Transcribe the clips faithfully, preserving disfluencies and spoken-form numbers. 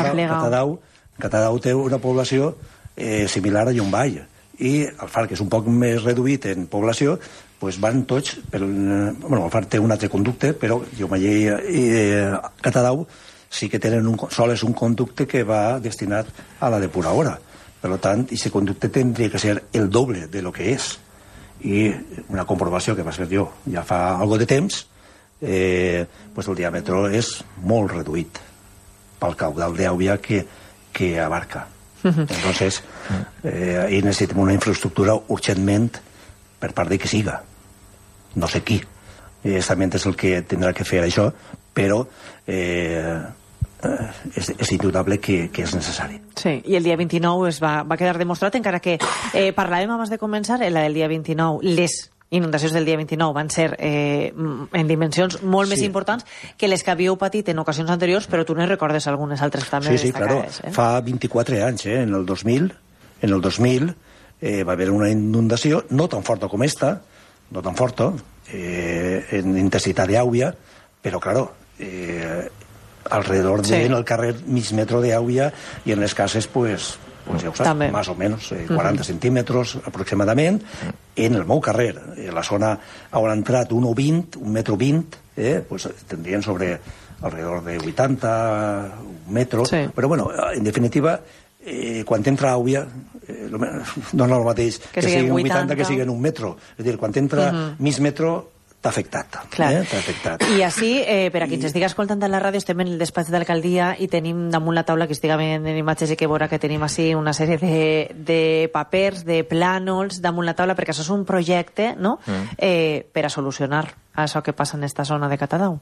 Catadau, Catadau té una població eh, similar a Llombai, i el Far, que és un poc més reduït en població, pues van tots per, bueno, el Far té un altre conducte, però Llombai i eh, Catadau sí que tenen un, sols un conducte que va destinat a la depuradora. Per tant, aquest conducte tindria que ser el doble de lo que és. I una comprovació que va fer jo ja fa algo de temps, eh, pues el diàmetre és molt reduït pel caudal d'aigua que, que abarca. Entonces, eh, ahí necessitem una infraestructura urgentment per part de qui siga. No sé qui. Exactament és el que tindrà que fer això, però eh, és, és indubtable que, que és necessari. Sí, i el dia vint-i-nou es va, va quedar demostrat, encara que eh, parlàvem abans de començar, el dia vint-i-nou, les inundacions del dia vint-i-nou van ser eh, en dimensions molt sí. més importants que les que havíeu patit en ocasions anteriors, però tu ne recordes algunes altres també sí, sí, destacades. Claro. Eh? Fa vint-i-quatre anys, eh? en el dos mil, en el dos mil eh, va haver una inundació no tan forta com esta, no tan forta, eh, en intensitat d'aigua, però, claro, eh, alrededor de, sí. en el carrer mig metro d'aigua i en les cases, pues, pues ja ho saps, també. Más o menos eh, quaranta uh-huh. centímetres aproximadament en el meu carrer. En la zona on han entrat un o vint, un metro vint, eh, pues tindrien sobre alrededor de vuitanta metros, sí. però bueno, en definitiva, eh, quan entra aigua, eh, no és el mateix que, que siguin vuitanta que siguin un metro. És a dir, quan entra uh-huh. mig metro, t'ha afectat. Eh? T'ha afectat. I així, eh, per a qui ens estigui escoltant a la ràdio, estem en el despatx de l'alcaldia i tenim damunt la taula, que estigui en imatges i que veurà que tenim així una sèrie de, de papers, de plànols damunt la taula, perquè això és un projecte, no?, mm. eh, per a solucionar això que passa en esta zona de Catadau.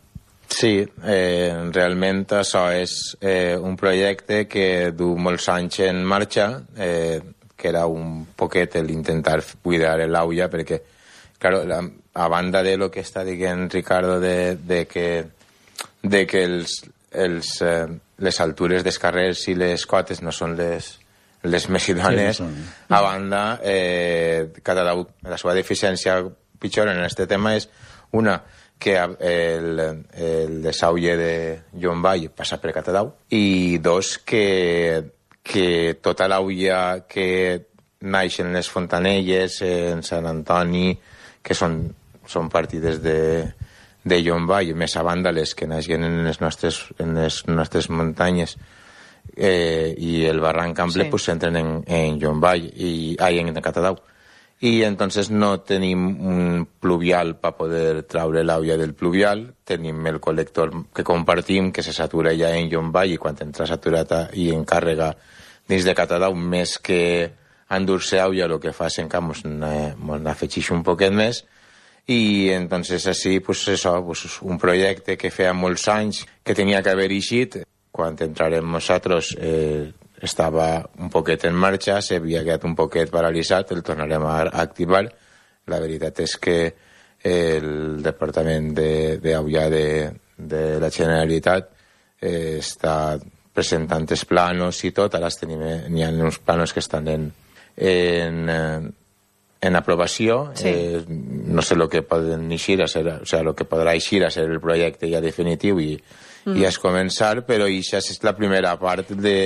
Sí, eh, realment això és eh, un projecte que du molts anys en marxa, eh, que era un poquet l'intentar cuidar l'aigua, perquè, claro, la, a banda de lo que està dient Ricardo de, de que, de que els, els, eh, les altures dels carrers i les cotes no són les, les més idònies, sí, a banda, eh, Catadau, la seva deficiència pitjor en aquest tema és una, que el, el desaulle de Llombai passa per Catadau, i dos, que, que tota l'aigua que naix en les Fontanelles, en Sant Antoni, que són, són partides de, de Llombai, més a banda les que naixen en les nostres, en les nostres muntanyes, eh, i el barranc ample, sí. pues s'entren en, en Llombai, i, ai, en Catadau. I entonces no tenim un pluvial per poder traure l'aigua del pluvial, tenim el col·lector que compartim, que se satura ja en Llombai, i quan entra saturat i en càrrega dins de Catadau, més que endur-se aigua, el que fa és en canvi n'afegeix un poquet més, i entonces així, pues això, pues un projecte que feia molts anys que tenia que haver eixit, quan entrarem nosaltres eh, estava un poquet en marxa, s'havia quedat un poquet paralitzat, el tornarem a activar. La veritat és que el Departament d'Aigua de, de la Generalitat eh, està presentant els planos i tot, ara tenim, n'hi ha uns planos que estan en, en, en aprovació, sí. eh, no sé el que poden eixir a ser, o sea, lo que podrà eixir a ser el projecte ja definitiu i, mm. i és començar, però això és la primera part de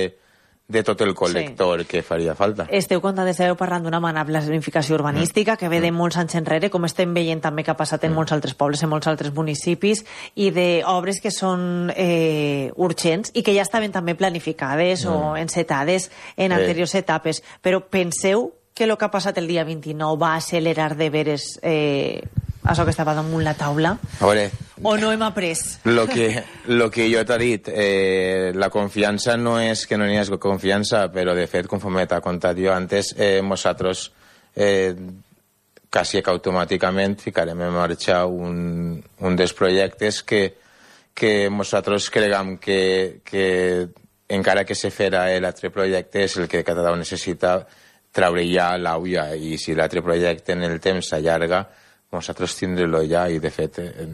de tot el col·lector sí. que faria falta. Esteu contant, esteu parlant d'una bona planificació urbanística mm. que ve de molts anys enrere, com estem veient també que ha passat en mm. molts altres pobles, en molts altres municipis, i d'obres que són eh, urgents i que ja estaven també planificades mm. o encetades en eh. anteriors etapes. Però penseu que el que ha passat el dia vint-i-nou va accelerar de veres eh, això que estava damunt la taula? A veure, o no hem après? Lo que, lo que jo t'he dit, eh, la confiança no és que no n'hi hagi confiança, però de fet, conforme t'ha contat jo antes, eh, nosaltres eh, quasi que automàticament ficarem en marxa un, un dels projectes que, que nosaltres creguem que, que encara que se farà l'altre projecte és el que Catadau necessita treure ja l'aigua, i si l'altre projecte en el temps s'allarga, nosaltres tindrem-lo ja, i de fet eh,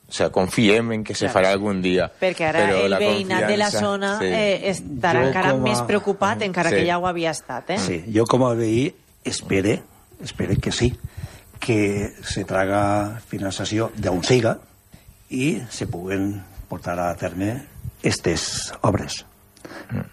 o sea, confiem en que se claro. farà algun dia. Perquè ara però el veïnat de la zona sí. eh, estarà jo encara a... més preocupat, encara sí. que ja ho havia estat. Eh? Sí, jo com a veí espere, espere que sí, que se traga finançació d'on siga i se puguen portar a terme aquestes obres.